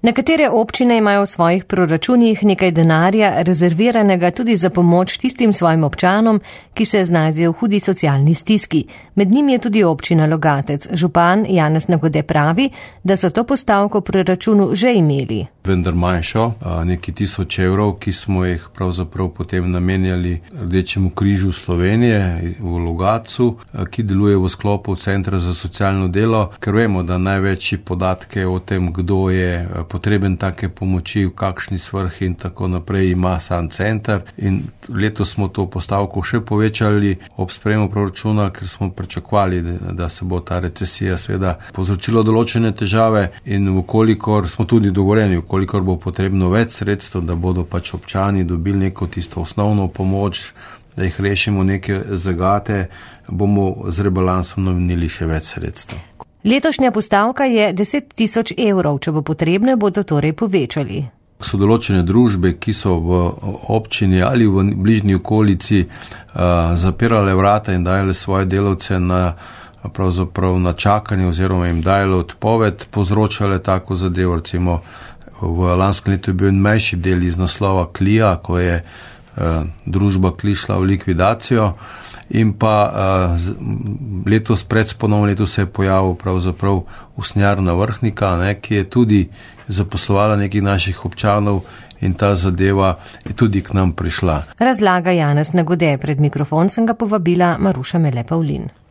Nekatere občine imajo v svojih proračunih nekaj denarja rezerviranega tudi za pomoč tistim svojim občanom, ki se znajdejo v hudi socialni stiski. Med njim je tudi občina Logatec. Župan Janez Nagode pravi, da so to postavko v proračunu že imeli. Vendar manjšo, nekaj 1000 evrov, ki smo jih pravzaprav potem namenjali Rdečemu križu Slovenije v Logatcu, ki deluje v sklopu Centra za socialno delo, ker vemo, da največji podatke o tem, kdo je potreben take pomoči, v kakšni svrhi in tako naprej, ima sam center. In letos smo to postavko še povečali ob sprejemu proračuna, ker smo pričakovali, da se bo ta recesija seveda povzročila določene težave in vkolikor smo tudi dogovoreni, vkolikor bo potrebno več sredstev, da bodo pač občani dobili neko tisto osnovno pomoč, da jih rešimo neke zagate, bomo z rebalansom namenili še več sredstev. Letošnja postavka je 10 000 evrov, če bo potrebno, bodo torej povečali. So določene družbe, ki so v občini ali v bližnji okolici zapirale vrata in dajale svoje delavce pravzaprav na čakanje oziroma jim dajale odpoved, povzročale tako zadevo. Recimo v lanskem letu je bil manjši del iz naslova Klija, ko je družba Kli šla v likvidacijo. In pa letos pred ponovno leto se je pojavil pravzaprav usnjarna Vrhnika, ki je tudi zaposlovala nekih naših občanov in ta zadeva je tudi k nam prišla. Razlaga Janez Nagode. Pred mikrofon sem ga povabila Maruša Mele Pavlin.